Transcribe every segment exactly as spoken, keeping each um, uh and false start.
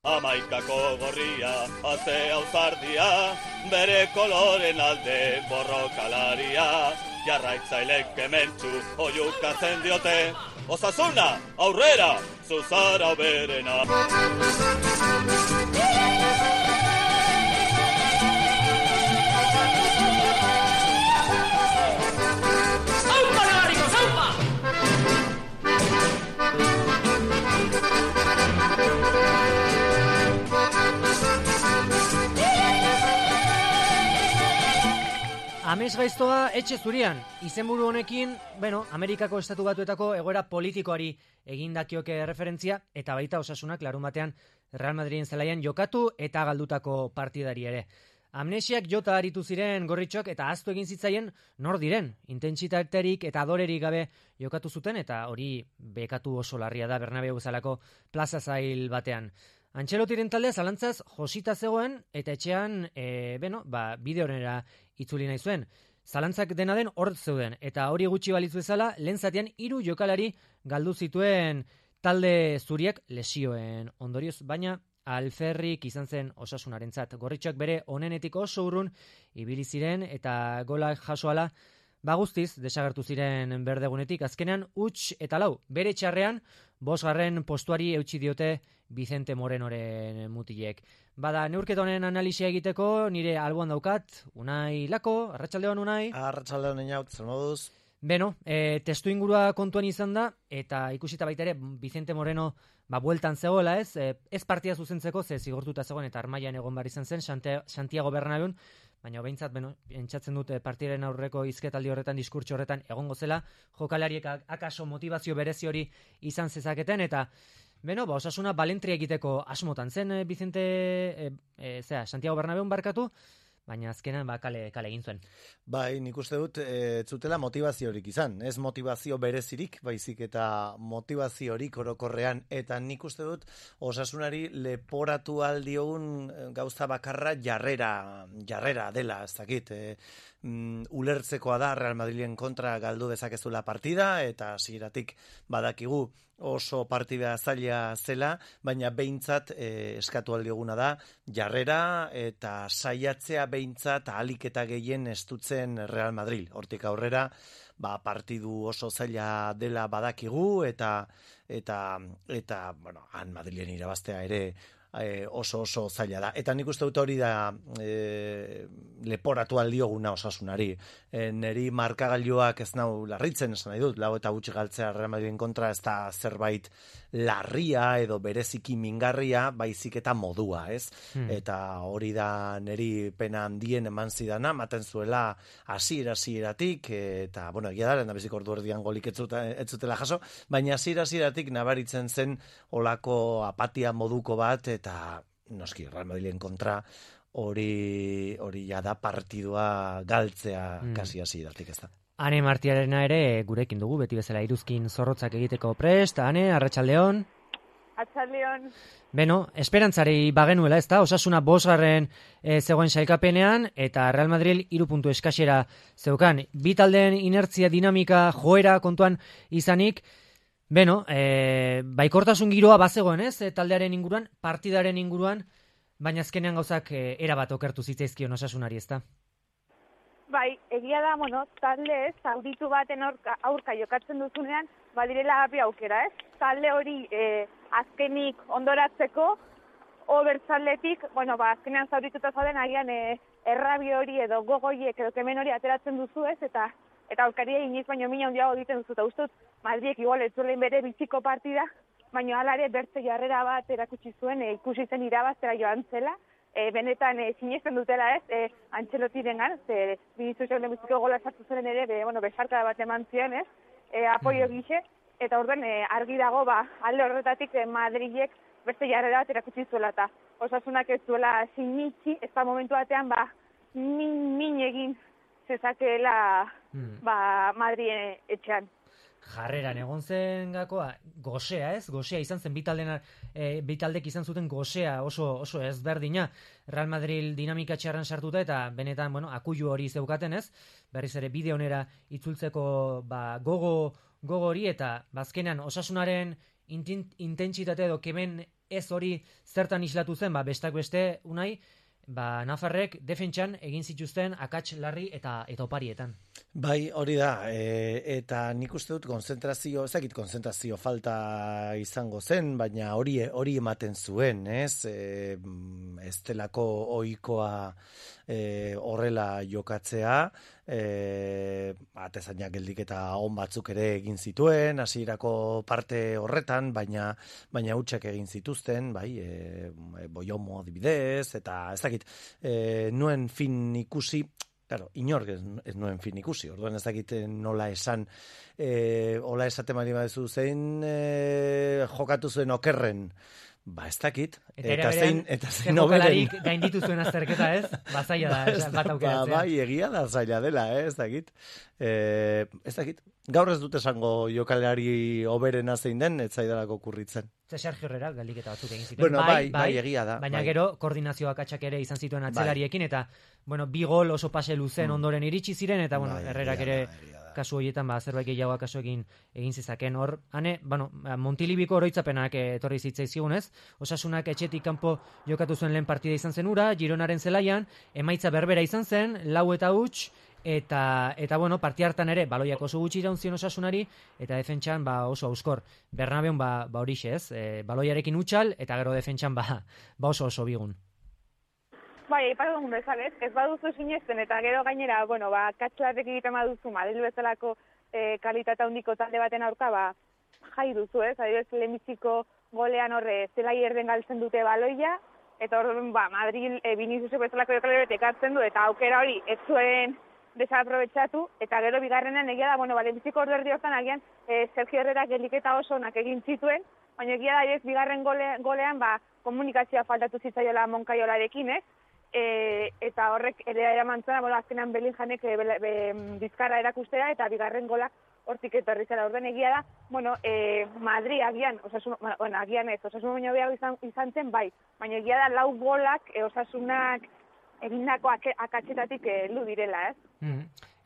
Amaikako gorria, azea uzardia, bere koloren alde borrokalaria, jarraitzailek kementsu oiukatzen diote, Osasuna, aurrera, zuzara berena. ¡Zaupa, Navarrico, zaupa! Ames gaiztoa etxe zurian, izenburu honekin, bueno, Amerikako Estatu Batuetako egoera politikoari egindakioke referentzia, eta baita Osasunak larun batean Real Madriden zelaian jokatu eta galdutako partidari ere. Amnesiak jota aritu ziren gorritxoak eta ahaztu egin zitzaien nor diren, intentsitaterik eta adorerik gabe jokatu zuten, eta hori bekatu oso larria da Bernabeu bezalako plaza zail batean. Antxelotiren taldea zalantzaz josita zegoen eta etxean, e, beno, ba, bideonera itzuli nahi zuen. Zalantzak dena den hor zeuden eta hori gutxi balitz bezala lehen zatean hiru jokalari galdu zituen talde zuriak lesioen ondorioz, baina alferrik izan zen Osasunarentzat. Gorritxoak bere onenetik oso urrun ibili ziren eta gola jasoala ba guztiz desagertu ziren berdegunetik. Azkenean huts eta lau bere txarrean bosgarren postuari eutsi diote Vicente Morenoren mutilek. Bada, neurketa honen analisia egiteko nire alboan daukat, Unai Lako, arratsaldeon Unai. Arratsaldeon inaut, zer moduz? Beno, e, testu ingurua kontuan izan da, eta ikusita baita ere Vicente Moreno ba, bueltan zegoela ez, e, ez partia zuzentzeko, ze zigortuta zegoen eta armailan egon bar izan zen, Santiago Bernabeun, baina behintzat, beno, entzatzen dut partiren aurreko hizketaldi horretan, diskurtso horretan egongo zela, jokalariek akaso motivazio berezi hori izan zezaketen, eta beno, ba, Osasuna balentria egiteko asmotan zen, e, Vicente, e, e, zera, Santiago Bernabeun barkatu, baina azkenan ba, kale, kale egin zuen. Bai, nik uste dut, ez zutela motivaziorik izan, ez motivazio berezirik, baizik eta motivaziorik orokorrean, eta nik uste dut Osasunari leporatu aldiogun gauza bakarra jarrera, jarrera dela, ez dakit, e, mm, ulertzekoa da Real Madrilen kontra galdu dezakezula partida, eta hasieratik badakigu oso partida zaila zela, baina behintzat e, eskatu aldioguna da jarrera eta saiatzea behintzat ahalik eta gehien estutzen Real Madrid. Hortik aurrera, ba, partidu oso zaila dela badakigu eta eta eta bueno, han Madrilen irabaztea ere E, oso oso zaila da. Eta nik uste dut hori da e, leporatu aldioguna Osasunari. E, neri markagailuak ez nau larritzen esan nahi dut, lau eta gutxi galtzea Real Madriden kontra ez da zerbait larria edo bereziki mingarria, baizik eta modua, ez? Hmm. Eta hori da neri pena handien eman zidana, maten zuela hasiera hasieratik eta, bueno, egia da, lehendabizik ordu erdian golik ez zutela jaso, baina hasiera hasieratik nabaritzen zen olako apatia moduko bat, eta noski Real Madrilen kontra hori hori ja da partidua galtzea mm. kasi hasieratik, ez da. Ane Martiarena ere gurekin dugu, beti bezala iruzkin zorrotzak egiteko prest. Ane, arratsaldeon. Arratsaldeon. Beno, esperantzari bagenuela, ez da? Osasuna bosgarren e, zegoen sailkapenean eta Real Madrid hiru puntu eskasera zeukan. Bi taldeen inertzia, dinamika, joera kontuan izanik, beno, e, baikortasun giroa bazegoen, ez? E, taldearen inguruan, partidaren inguruan, baina azkenean gauzak e, erabat okertu zitzaizkion Osasunari, ez da? Bai, egia da, bueno, talde ez, zauritu baten aurka, aurka jokatzen duzunean, badirela bi aukera, ez? Talde hori e, azkenik ondoratzeko, obertzaletik, bueno, ba, azkenean zaurituta zauden agian e, errabi hori edo gogoiek edo kemen hori ateratzen duzu, ez? Eta eta aurkaria iniz baino mina handiago egiten duzu, eta uste dut, Madriek igual ez zuelen bere biziko partida, baina alare bertze jarrera bat erakutsi zuen, e, ikusi zen irabaztera joan zela, E, benetan e, sinesten dutela ez, e, Antxelotirengan, ze Viniciusek lehenbiziko gola sartu zuen ere, be, bueno, besarkada bat eman zion, ez, e, apoio gixe, eta orduan e, argi dago, ba, alde horretatik e, Madrilek beste jarrera bat erakutsi zuela, eta Osasunak ez zuela sinitxi, ez da momentu batean, ba, min, min egin zezakeela, mm. ba, Madrien etxean. Jarreran egon zen gakoa, gosea ez, gosea izan zen, bitaldek e, bitaldek izan zuten gosea oso oso ezberdina, Real Madrid dinamika txarran sartuta eta benetan, bueno, akuilu hori zeukaten ez, berriz ere bide onera itzultzeko ba, gogo, gogo hori eta bazkenan Osasunaren intentsitate edo kemen ez hori zertan islatu zen, ba, bestak beste, unai, ba, Nafarrek defentsan egin zituzten akats larri eta eta oparietan. Bai, hori da, e, eta nik uste dut konzentrazio, ezakit konzentrazio falta izango zen, baina hori hori ematen zuen, ez? E, ez delako ohikoa e, horrela jokatzea, e, atezainak geldik eta on batzuk ere egin zituen, hasierako parte horretan, baina baina hutsak egin zituzten, bai, e, Boiomo adibidez, eta ez dakit, e, nuen fin ikusi, claro, inork ez, ez nuen fin ikusi, orduan ez dakit nola esan, e, hola esaten bali baduzu zein e, jokatu zuen okerren, ba ez dakit, eta, eta zein, eta zein oberen. Gainditu zuen azterketa, ez? Ba, zaila da, ba, bat aukeratzea. Ba, bai, egia da zaila dela, eh? ez dakit. E, ez dakit. Gaur ez dut esango jokalari oberena zein den, ez zaidalako kurritzen. Ze Sergio Herrera galdiketa batzuk egin zituen. Bueno, bai, bai, bai, egia da. Baina bai. gero koordinazioak atxak ere izan zituen atzelariekin, eta, bueno, bi gol oso pase luzen mm. ondoren iritsi ziren, eta, bueno, bai, Herrerak ere da, kasu horietan, ba, zerbait gehiagoa kasu egin, egin zizaken. Hor, hane, bueno, Montilibiko oroitzapenak etorri zitzaizkigunez, Osasunak etxetik kanpo jokatu zuen lehen partida izan zen ura, Gironaren zelaian, emaitza berbera izan zen, lau eta huts, Eta, eta bueno, parti hartan ere, baloiak oso gutxi iraunzion Osasunari, eta defentsan ba, oso auskor. Bernabeun ba, ba horixe ez, e, baloiarekin utxal, eta gero defentsan ba, ba oso oso bigun. Bai, aipatu dugun bezalez, ez baduzu sinesten, eta gero gainera, bueno, ba, katxlarrek egiten baduzu, Madrid bezalako e, kalitate handiko talde baten aurka, ba, jai duzu ez, adibidez, lehenbiziko golean horre, zelai erden galtzen dute baloia, eta hor, ba, Madrid e, Vinicius bezalako jokalari ekartzen du, eta aukera hori ez zuen desaprobetxatu, eta gero bigarrenean egia da, bueno, lehenbiziko ordu erdi hortan agian e, Sergio Herrera geliketa oso onak egin zituen, baina egia da, ez, bigarren gole, golean, ba, komunikazioa faltatu zitzaiola Moncaiolarekin, ez? E, eta horrek ere eraman zuen, bueno, azkenan Bellingham-ek e, be, be, bizkarra erakustera, eta bigarren golak hortik etorri zela. Orduan egia da, bueno, e, Madrid agian, osasun, bueno, agian ez, Osasun baino behago izan, izan zen, bai, baina egia da, lau golak e, Osasunak egindako akatsetatik heldu direla, ez? Mm.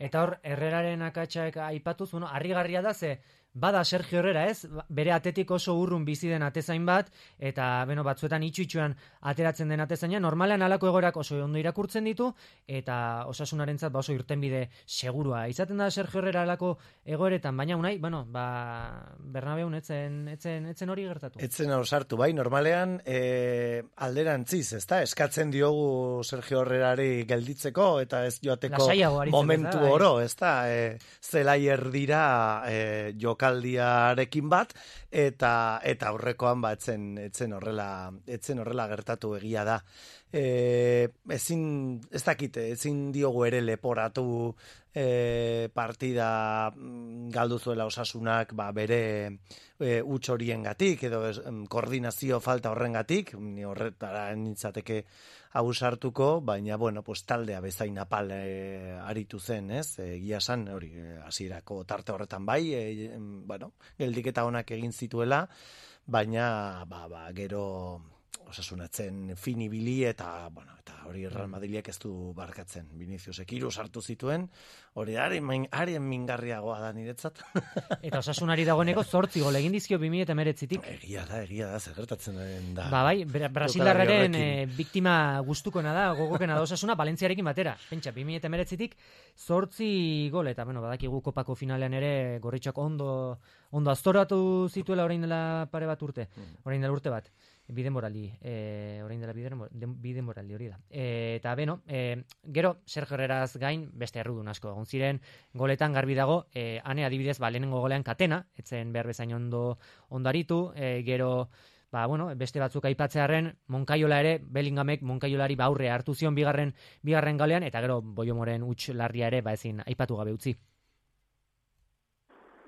Eta hor, Herreraren akatsak aipatuz, bueno, harrigarria da ze, bada Sergio Herrera, ez? Bere atetik oso urrun bizi den atezain bat, eta beno, batzuetan itxu-itxuan ateratzen den atezaina, normalean halako egoerak oso ondo irakurtzen ditu, eta Osasunarentzat ba oso irtenbide segurua. Izaten da Sergio Herrera halako egoeretan, baina unai, bueno, ba, Bernabeun etzen, etzen, etzen hori gertatu. Etzen osartu, bai, normalean e, alderantziz, ezta? Eskatzen diogu Sergio Herrerari gelditzeko, eta ez joateko momentu da, oro, ezta? E, zelai erdira e, joka aldiarekin bat, eta eta aurrekoan ba etzen etzen horrela etzen horrela gertatu egia da. E, ezin ez dakite, ezin diogu ere leporatu e, partida galdu zuela Osasunak ba bere e, huts horiengatik edo ez, koordinazio falta horrengatik, ni horretara nintzateke abusartuko, baina bueno, pues taldea bezain apal e, aritu zen, ez? Egia esan, hori hasierako tarte horretan bai, e, bueno, geldiketa onak egin zituela, baina ba, ba, gero Osasunatzen finibili eta bueno, eta hori Real Madrilek ez du barkatzen. Viniciusek hiru sartu zituen, hori haren haren mingarriagoa da niretzat. Eta Osasunari dagoeneko zortzi gol egin dizkio bi mila hemeretzitik. Egia da, egia da, zer gertatzen da. Ba bai, Brasildarraren e, biktima gustukoena da, gogokena da Osasuna Valentziarekin batera. Pentsa, bi mila hemeretzitik zortzi gol, eta bueno, badakigu kopako finalean ere gorritxoak ondo ondo aztoratu zituela orain dela pare bat urte, orain dela urte bat. Bide morali, e, orain dela bide morali hori da. E, eta beno, e, gero Sergio Herreraz gain beste errudun asko egon ziren goletan garbi dago, e, ane adibidez ba, lehenengo golean Katena, etzen behar bezain ondo ondaritu, e, gero ba, bueno, beste batzuk aipatzearen Moncaiola ere, Bellinghamek Moncailolari ba aurre hartu zion bigarren bigarren galean, eta gero Boiomoren huts larria ere ba ezin aipatu gabe utzi.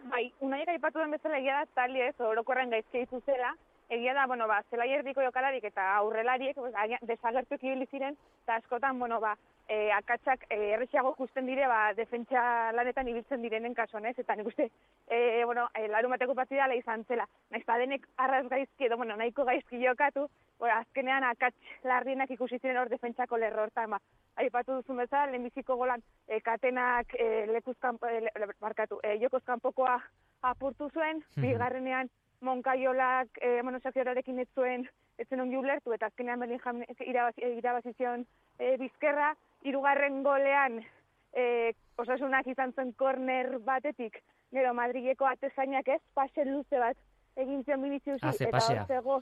Bai, unaiek aipatu den bezala egia da tali ez, orokorren gaizki ditu zela, egia da, bueno, ba, zelai erdiko jokalarik eta aurrelariek pues, desagertuak ibili ziren, eta askotan, bueno, ba, e, akatsak e, errexiago ikusten dire, ba, defentsa lanetan ibiltzen direnen kasuan, ez? Eta nik uste, e, bueno, e, larumateko partida ala izan zela. Naiz ba denek arraz gaizki edo, bueno, nahiko gaizki jokatu, bueno, azkenean akats larrienak ikusi ziren hor defentsako lerro hortan, ba, aipatu duzun bezala, lehenbiziko golan e, Katenak e, lekuzkan, e, le, barkatu, e, jokozkanpokoa apurtu zuen, hmm. bigarrenean Moncaiolak e, bueno, Xavierrekin ez zuen ez zen ongi ulertu, eta azkenean Bellingham irabazi, irabazi zion e, bizkerra, hirugarren golean e, Osasunak izan zen korner batetik, gero Madrileko atezainak ez, pase luze bat egin zion Viniciusi, ah, eta hor zego,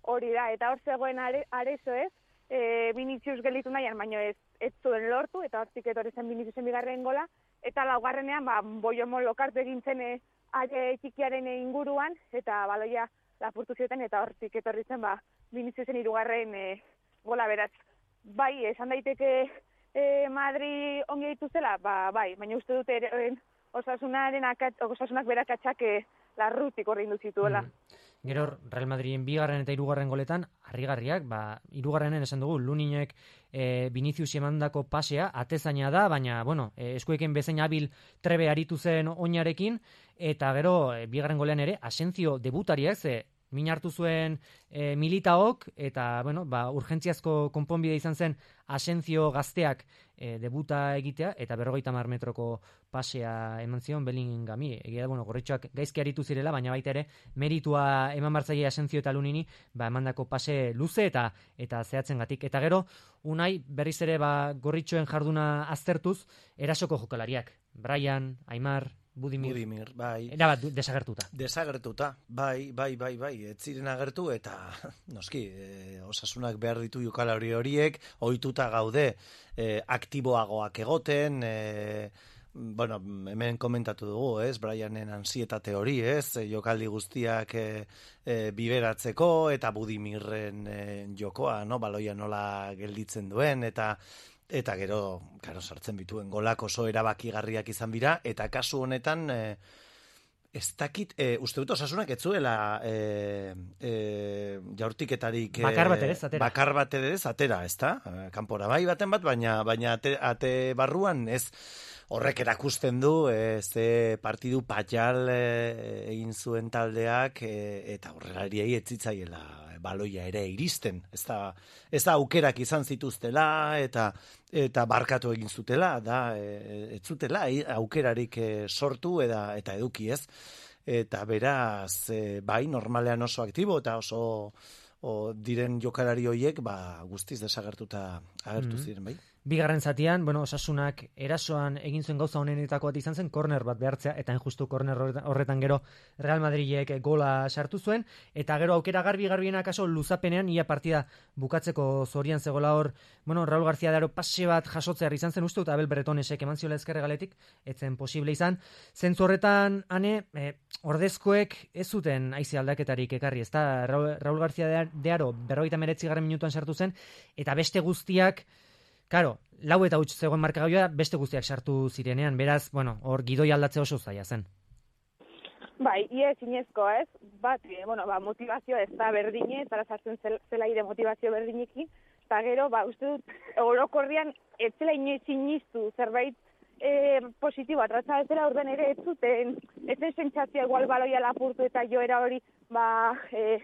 hori da, eta hor zegoen are, arezo ez, e, Vinicius gelitu nahian, baina ez, ez zuen lortu, eta hortik etorri zen Viniciusen bigarren gola, eta laugarrenean, ba, boiomon lokartu egin zen e, are txikiaren inguruan, eta baloia lapurtu zioten, eta hortik etorri zen, ba, Viniciusen hirugarren e, gola beraz. Bai, esan daiteke e, Madri ongi ditu zela, ba, bai, baina uste dute ere, Osasunaren akat, Osasunak berakatxak e, larrutik horrein duzituela. Mm. Gero Real Madriden bigarren eta hirugarren goletan harrigarriak, ba hirugarrenen esan dugu Luninek e, Vinicius emandako pasea atezaina da, baina bueno, e, eskuekin bezain habil trebe aritu zen oinarekin, eta gero e, bigarren golean ere Asensio debutariak ze min hartu zuen e, Militaok, eta bueno, ba urgentziazko konponbide izan zen Asensio gazteak e, debuta egitea, eta berrogeita hamar metroko pasea eman zion Bellinghami. Egia da, bueno, gorritxoak gaizki aritu zirela, baina baita ere meritua eman bartzaile Asensio eta Lunini, ba emandako pase luze eta eta zehatzengatik. Eta gero Unai berriz ere ba gorritxoen jarduna aztertuz erasoko jokalariak. Brian, Aimar, Budimir, Budimir, bai. Era bat desagertuta. Desagertuta, bai, bai, bai, bai. Ez ziren agertu eta noski, e, Osasunak behar ditu jokalari horiek, ohituta gaude e, aktiboagoak egoten, e, bueno, hemen komentatu dugu, ez? Brianen ansietate hori, ez? E, jokaldi guztiak e, e, biberatzeko eta Budimirren e, jokoa, no? Baloia nola gelditzen duen eta Eta gero, karo, sartzen bituen golak oso erabakigarriak izan bira, eta kasu honetan, e, ez dakit, e, uste dut Osasunak ez zuela e, e, jaurtiketarik... E, bakar bat ere atera. Bakar bat ere atera, ez da? Kanpora bai baten bat, baina, baina ate, ate barruan ez horrek erakusten du, e, ze partidu patxal e, egin zuen taldeak, e, eta horrelariei ez zitzaiela baloia ere iristen, ez da, ez da aukerak izan zituztela eta eta barkatu egin zutela, da ez zutela aukerarik sortu eta eta eduki, ez? Eta beraz, e, bai, normalean oso aktibo eta oso o, diren jokalari horiek, ba, guztiz desagertuta agertu mm-hmm. ziren, bai. Bigarren zatian, bueno, Osasunak erasoan egin zuen gauza honenetako bat izan zen, korner bat behartzea, eta injustu korner horretan gero Real Madridek gola sartu zuen, eta gero aukera garbi-garbiena kaso luzapenean ia partida bukatzeko zorian zegoela hor, bueno, Raul García de Aro pase bat jasotzear izan zen uste, eta Abel Bretonesek eman ziola ezkerregaletik, etzen posible izan. Zentzu horretan, ane, e, ordezkoek ez zuten haize aldaketarik ekarri, ezta Raul, Raul García de Aro berrogeita hemeretzi garren minutuan sartu zen, eta beste guztiak, Karo, lau eta huts zegoen markagailoa beste guztiak sartu zirenean, beraz, bueno, hor gidoi aldatze oso zaila zen. Bai, ia ezinezko, ez? Bat, bueno, ba, motivazio ez da berdine, eta sartzen zela ire motivazio berdinekin, eta gero, ba, uste dut, orokorrian, ez zela inoiz inistu zerbait e, positiboa, tratza ez zela orden ere ez zuten, ez zen sentsazioa igual baloia lapurtu eta joera hori, ba, e,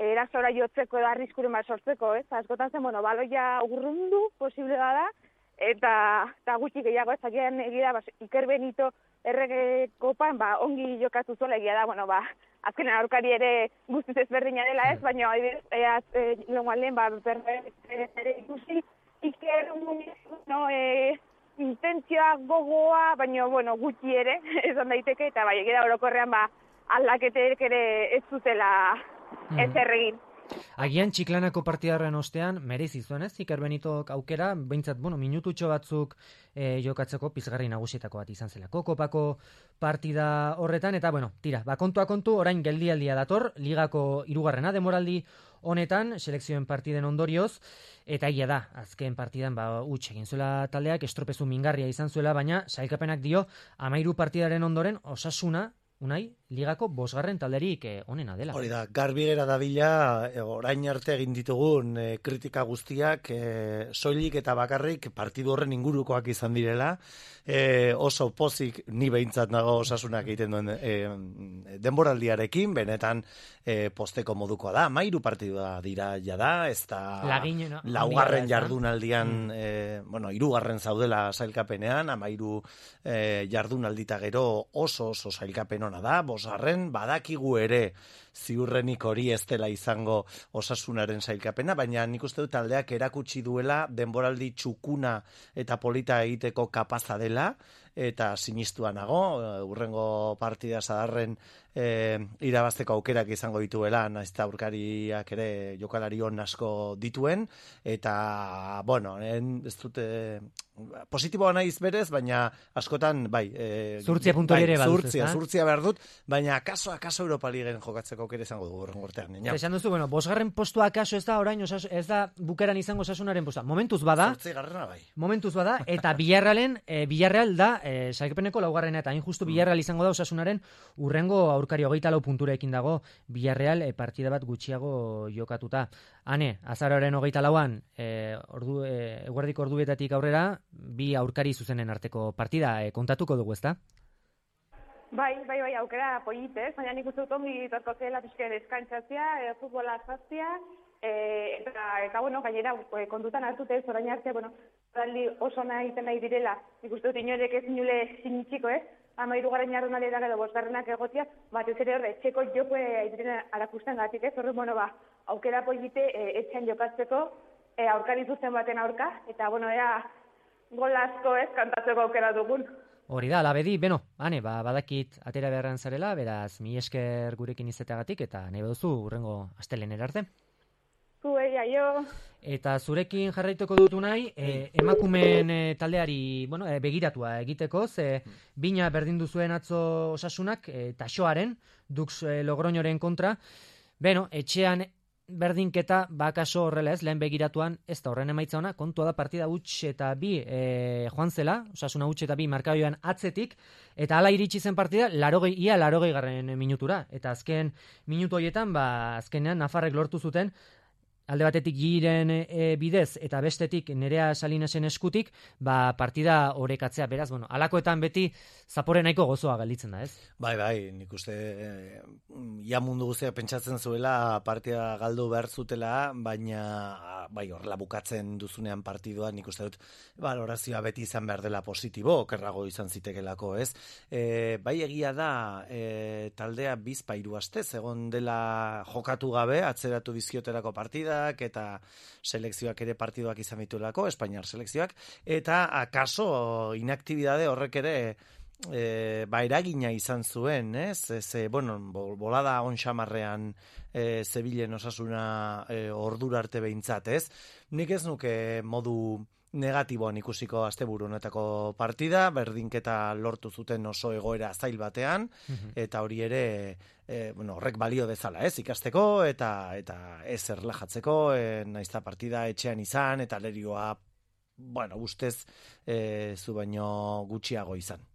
erasora jotzeko edo arriskuren bat sortzeko, ez? Askotan zen, bueno, baloia urrundu posible da, eta, eta gutxi gehiago ez, agian egia, ba, Iker Benito errege kopan, ba, ongi jokatu zuela egia da, bueno, ba, azkenean aurkari ere guztiz ezberdina dela ez, baina eaz, e, longuan ba, ere ikusi, Iker, no, e, intentzioa gogoa, baina, bueno, gutxi ere, esan daiteke, eta bai, egia da orokorrean, ba, aldaketek ere ez zutela ez erregin. Agian Txiklanako partidarren ostean merezi zuen, ez? Iker Benitok aukera, behintzat, bueno, minututxo batzuk e, jokatzeko pizgarri nagusietako bat izan zelako kopako partida horretan, eta bueno, tira, ba, kontua kontu, orain geldialdia dator, ligako hirugarrena demoraldi honetan, selekzioen partiden ondorioz, eta egia da, azken partidan, ba, huts egin zuela taldeak, estropezu mingarria izan zuela, baina sailkapenak dio, amairu partidaren ondoren, Osasuna, Unai, ligako bosgarren talderik eh, onena dela. Hori da, garbi gera dabila, e, orain arte egin ditugun e, kritika guztiak e, soilik eta bakarrik partidu horren ingurukoak izan direla, e, oso pozik ni behintzat nago Osasunak egiten duen e, denboraldiarekin, benetan e, posteko modukoa da, mairu partidua dira jada, ez da Lagine, no? laugarren jardunaldian, mm. e, bueno, hirugarren zaudela sailkapenean, amairu e, jardunaldita gero oso oso sailkapen ona da, bosgarren badakigu ere ziurrenik hori ez dela izango Osasunaren sailkapena, baina nik uste dut taldeak erakutsi duela denboraldi txukuna eta polita egiteko kapaza dela, eta sinistua nago, urrengo partida sadarren e, irabazteko aukerak izango dituela, naiz eta aurkariak ere jokalari on asko dituen, eta, bueno, en, ez dute positiboa naiz berez, baina askotan, bai, e, zurtzia puntu bai, ere baduz, zurtzia, ezta? zurtzia behar dut, baina akaso, akaso Europa Ligen jokatzeko aukera izango dugu urrengo urtean. Eta esan duzu, bueno, bosgarren postua akaso ez da orain, osas, ez da bukaran izango Osasunaren postua. Momentuz bada, Zortzi garrena bai. momentuz bada, eta Villarrealen, e, Villarreal da, e, sailkapeneko laugarrena, eta hain justu Villarreal izango da Osasunaren urrengo aurkari hogeita lau punturekin dago Villarreal e, partida bat gutxiago jokatuta. Hane, azaroaren hogeita lauan, e, ordu, e, eguerdiko orduetatik aurrera, bi aurkari zuzenen arteko partida e, kontatuko dugu, ezta? Bai, bai, bai, aukera polit, ez? Baina nik uste dut ongi torko zela pixken eskantzatzea, e, futbola zaztia, e, eta, eta, bueno, gainera e, kontutan hartute ez, orain arte, bueno, taldi oso nahi egiten nahi direla, nik uste dut inorek ez inule sinitxiko, ez? Ama irugaren jarrunalea edo bosgarrenak egotia, batez ere horre, txeko joko aiziren arakusten gatik, ez? Horre, bueno, ba, aukera polite e, etxean jokatzeko, e, aurkari zuzen baten aurka, eta, bueno, ea, gol asko ez, kantatzeko aukera dugun. Hori da, labedi, beno, hane, ba, badakit atera beharran zarela, beraz, mi esker gurekin izateagatik, eta nahi baduzu urrengo astelener arte. Zuei, aio. Eta zurekin jarraituko dutu nahi, e, emakumeen e, taldeari, bueno, e, begiratua egiteko, ze bina berdin duzuen atzo Osasunak, e, taxoaren, Dux e, Logroñoren kontra, beno, etxean berdinketa bakaso horrela ez, lehen begiratuan, ez da horren emaitza ona, kontua da partida huts eta bi e, joan zela, Osasuna huts eta bi markabioan atzetik, eta hala iritsi zen partida, larogei, ia larogei garren minutura, eta azken minutu horietan, ba, azkenean Nafarrek lortu zuten, alde batetik giren e, bidez eta bestetik Nerea Salinasen eskutik, ba, partida orekatzea, beraz, bueno, alakoetan beti zapore nahiko gozoa galditzen da, ez? Bai, bai, nik uste eh, ia mundu guztia pentsatzen zuela partida galdu behar zutela, baina bai, horrela bukatzen duzunean partidua, nik uste dut balorazioa beti izan behar dela positibo, okerrago izan zitekelako, ez? E, bai, egia da e, taldea bizpa hiru astez egon dela jokatu gabe, atzeratu bizkioterako partida, eta selekzioak ere partidoak izan dituelako, Espainiar selekzioak, eta akaso inaktibidade horrek ere e, ba, eragina izan zuen, ez? Ze, bueno, bolada onxamarrean e, Zebilen Osasuna e, ordura arte behintzat, ez? Nik ez nuke modu negatiboan ikusiko asteburu honetako partida, berdinketa lortu zuten oso egoera zail batean, eta hori ere e, bueno, horrek balio dezala, ez, ikasteko, eta eta ez erlajatzeko, e, naizta partida etxean izan, eta lerioa, bueno, ustez, e, zu baino gutxiago izan.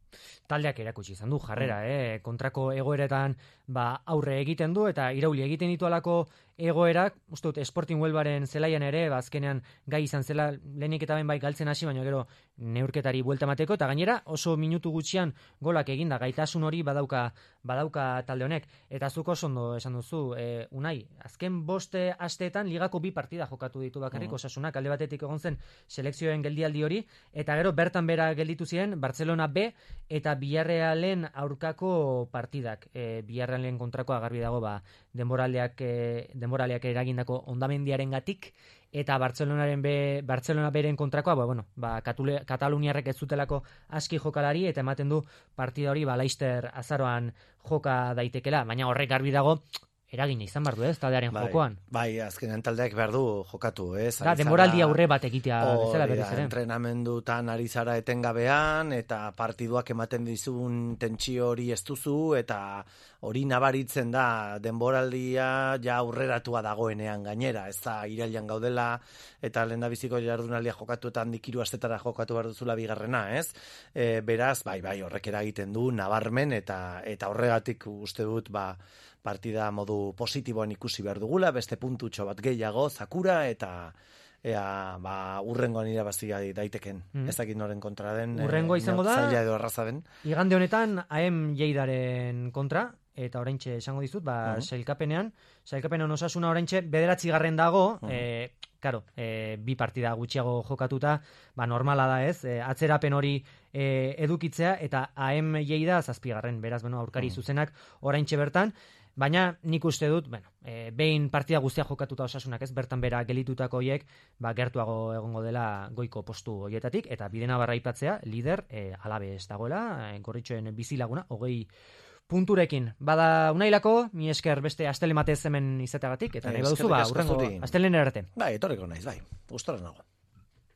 Taldeak erakutsi izan du jarrera, eh? Kontrako egoeretan ba, aurre egiten du, eta irauli egiten ditu alako egoerak, uste dut, Sporting Huelvaren zelaian ere, ba, azkenean gai izan zela, lehenik eta ben bai galtzen hasi, baina gero neurketari buelta emateko, eta gainera oso minutu gutxian golak eginda, gaitasun hori badauka, badauka talde honek. Eta zuko oso ondo esan duzu, e, Unai, azken boste asteetan ligako bi partida jokatu ditu bakarrik, uh-huh. Osasunak alde batetik egon zen selekzioen geldialdi hori, eta gero bertan bera gelditu ziren Barcelona B eta Villarrealen aurkako partidak. E, Villarrealen kontrakoa garbi dago, ba, denboraldeak, e, denboraleak eragindako ondamendiaren gatik, eta Barcelonaren be, Barcelona beren kontrakoa, ba, bueno, ba, Katule, Kataluniarrek ez zutelako aski jokalari, eta ematen du partida hori ba, Laster azaroan joka daitekela, baina horrek garbi dago, eragina izan behar du, ez, taldearen bai, jokoan. Bai, azkenean taldeak behar du jokatu, ez? Da, denboraldi aurre bat egitea bezala berriz ere. Entrenamendutan ari zara etengabean, eta partiduak ematen dizun tentsio hori ez duzu, eta hori nabaritzen da denboraldia ja aurreratua dagoenean gainera, ez da irailan gaudela, eta lehendabiziko jardunaldia jokatu eta handik hiru astetara jokatu behar duzula bigarrena, ez? E, beraz, bai, bai, horrek eragiten du nabarmen, eta eta horregatik uste dut, ba, partida modu positiboan ikusi behar dugula, beste puntutxo bat gehiago, zakura, eta ea, ba, urrengoan irabazia daiteken. Mm. Ez dakit noren kontra den. Urrengo izango da, zaila edo erraza den. Igande honetan, A E M Lleidaren kontra, eta oraintxe esango dizut, ba, uh-huh. sailkapenean, sailkapenean Osasuna oraintxe bederatzi garren dago, uh-huh. e, karo, e, bi partida gutxiago jokatuta, ba, normala da ez, e, atzerapen hori e, edukitzea, eta A E M Lleida zazpigarren, beraz, bueno, aurkari uh-huh. zuzenak oraintxe bertan, Baina nik uste dut, bueno, e, behin partida guztia jokatuta Osasunak, ez, bertan bera gelitutako hoiek, ba, gertuago egongo dela goiko postu hoietatik, eta Bidenabarra aipatzea, lider, e, Alaves dagoela, e, Gorritxoen bizilaguna, hogei punturekin. Bada unailako, mi esker beste astele matez hemen izateagatik, eta nahi baduzu, ba, urrengo astelen erarte. Bai, etorriko naiz, bai, gustora nago.